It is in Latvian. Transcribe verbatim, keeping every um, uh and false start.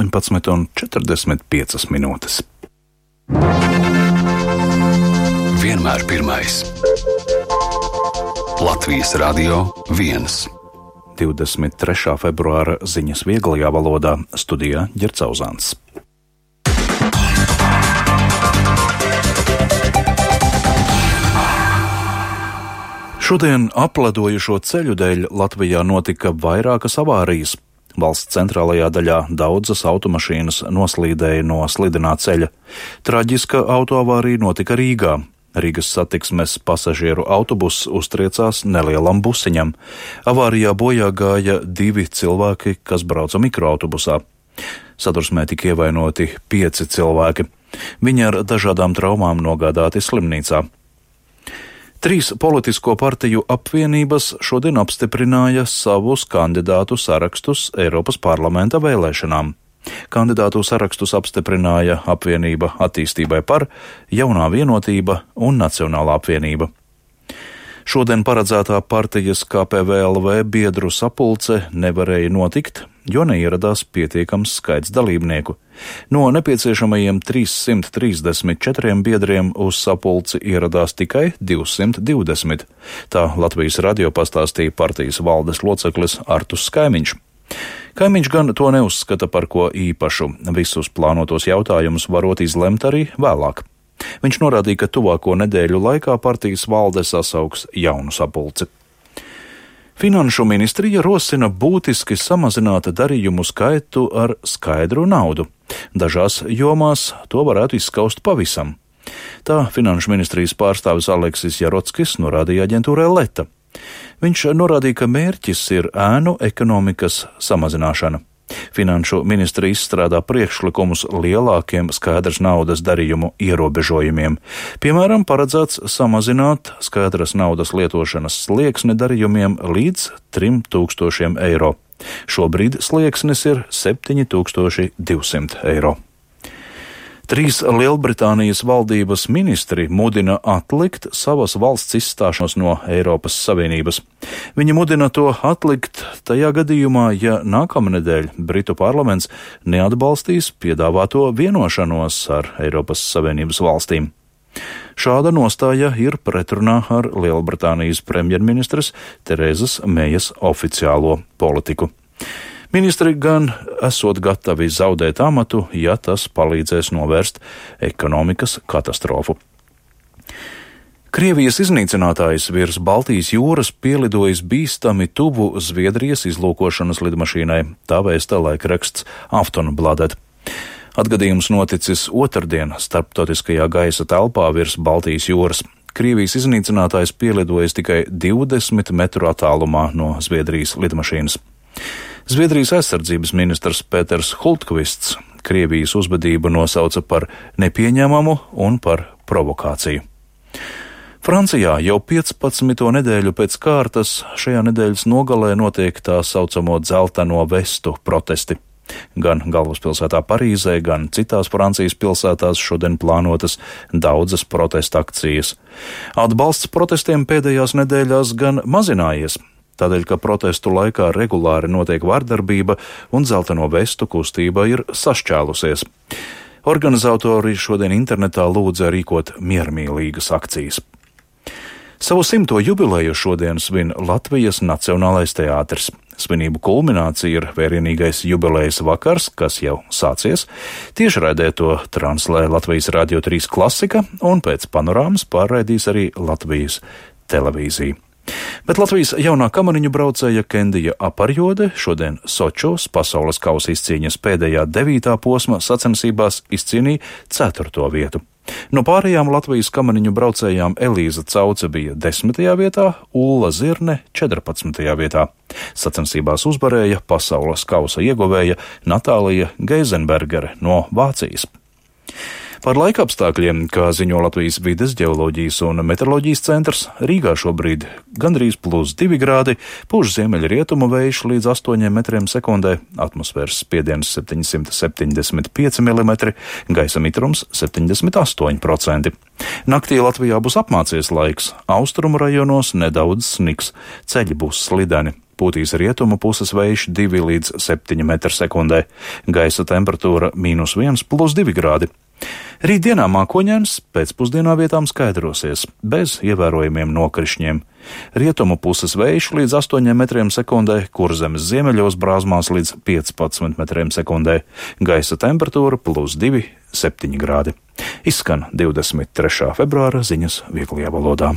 astoņpadsmit un četrdesmit piecas minūtes. Vienmēr pirmais. Latvijas Radio viens. divdesmit trešā februāra ziņas vieglajā valodā, studijā Ģercauzāns. Šodien apledojušo ceļu dēļ Latvijā notika vairākas avārijas. Valsts centrālajā daļā daudzas automašīnas noslīdēja no slidenā ceļa. Traģiska autoavārija notika Rīgā. Rīgas satiksmes pasažieru autobuss uztriecās nelielam busiņam. Avārijā bojā gāja divi cilvēki, kas brauca mikroautobusā. Sadursmē tika ievainoti pieci cilvēki. Viņi ar dažādām traumām nogādāti slimnīcā. Trīs politisko partiju apvienības šodien apstiprināja savus kandidātu sarakstus Eiropas parlamenta vēlēšanām. Kandidātu sarakstus apstiprināja apvienība Attīstībai par, Jaunā vienotība un Nacionālā apvienība. Šodien paredzētā partijas K P V L V biedru sapulce nevarēja notikt, jo neieradās pietiekams skaits dalībnieku. No nepieciešamajiem trīssimt trīsdesmit četriem biedriem uz sapulci ieradās tikai divsimt divdesmit. Tā Latvijas radio pastāstīja partijas valdes loceklis Artus Skaimiņš. Kaimiņš gan to neuzskata par ko īpašu. Visus plānotos jautājumus varot izlemt arī vēlāk. Viņš norādīja, ka tuvāko nedēļu laikā partijas valde sasauks jaunu sapulci. Finanšu ministrija rosina būtiski samazināt darījumu skaitu ar skaidru naudu. Dažās jomās to varētu izskaust pavisam. Tā Finanšu ministrijas pārstāvis Aleksis Jarotskis norādīja aģentūrai Leta. Viņš norādīja, ka mērķis ir ēnu ekonomikas samazināšana. Finanšu ministrija izstrādā priekšlikumus lielākiem skaidras naudas darījumu ierobežojumiem. Piemēram, paredzēts samazināt skaidras naudas lietošanas slieksni darījumiem līdz trim tūkstošiem eiro. Šobrīd slieksnis ir septiņi tūkstoši divsimt eiro. Trīs Lielbritānijas valdības ministri mudina atlikt savas valsts izstāšanos no Eiropas Savienības. Viņi mudina to atlikt tajā gadījumā, ja nākamnedēļ Britu parlaments neatbalstīs piedāvāto vienošanos ar Eiropas Savienības valstīm. Šāda nostāja ir pretrunā ar Lielbritānijas premjerministres Terezas Mejas oficiālo politiku. Ministri gan esot gatavi zaudēt amatu, ja tas palīdzēs novērst ekonomikas katastrofu. Krievijas iznīcinātājs virs Baltijas jūras pielidojis bīstami tuvu Zviedrijas izlūkošanas lidmašīnai, tā vēsta laikraksts Aftonbladet. Atgadījums noticis otrdien starptautiskajā gaisa telpā virs Baltijas jūras. Krievijas iznīcinātājs pielidojis tikai divdesmit metru attālumā no Zviedrijas lidmašīnas. Zviedrijas aizsardzības ministrs Pēters Hultkvists Krievijas uzvedību nosauca par nepieņemamu un par provokāciju. Francijā jau piecpadsmito nedēļu pēc kārtas šajā nedēļas nogalē notiek tā saucamo dzelteno vestu protesti. Gan galvaspilsētā Parīzē, gan citās Francijas pilsētās šodien plānotas daudzas protesta akcijas. Atbalsts protestiem pēdējās nedēļās gan mazinājies. Tādēļ, ka protestu laikā regulāri notiek vardarbība un dzelteno vestu kustība ir sašķēlusies. Organizatori šodien internetā lūdza rīkot miermīlīgas akcijas. Savu simto jubileju šodien svin Latvijas Nacionālais teātris. Svinību kulminācija ir vērienīgais jubilejas vakars, kas jau sācies. Tiešraidē to translē Latvijas Radio trīs klasika un pēc panorāmas pārraidīs arī Latvijas televīzija. Bet Latvijas jaunā kamariņu braucēja Kendija Aparjode šodien Sočos pasaules kausa izcīņas pēdējā devītā posma sacensībās izcīnīja ceturto vietu. No pārējām Latvijas kamariņu braucējām Elīza Cauce bija desmitajā vietā, Ulla Zirne četrpadsmitajā vietā. Sacensībās uzvarēja pasaules kausa ieguvēja Natālija Geizenbergere no Vācijas. Par laikapstākļiem, kā ziņo Latvijas vides, ģeoloģijas un meteoroloģijas centrs, Rīgā šobrīd gandrīz plus divi grādi, pūš ziemeļrietumu vējš līdz astoņiem metriem sekundē, atmosfēras spiediens septiņsimt septiņdesmit pieci milimetri, gaisa mitrums septiņdesmit astoņi procenti. Naktī Latvijā būs apmācies laiks, austrumu rajonos nedaudz sniks, ceļi būs slideni. pūtīs rietumu puses vējš divi līdz septiņi metri sekundē, gaisa temperatūra mīnus viens plus divi grādi. Rītdienā mākoņains, pēcpusdienā vietām skaidrosies, bez ievērojumiem nokrišņiem. Rietumu puses vējš līdz astoņiem metriem sekundē, Kurzemes ziemeļos brāzmās līdz piecpadsmit metriem sekundē, gaisa temperatūra plus divi, septiņi grādi. Izskan divdesmit trešā februāra ziņas vieglajā valodā.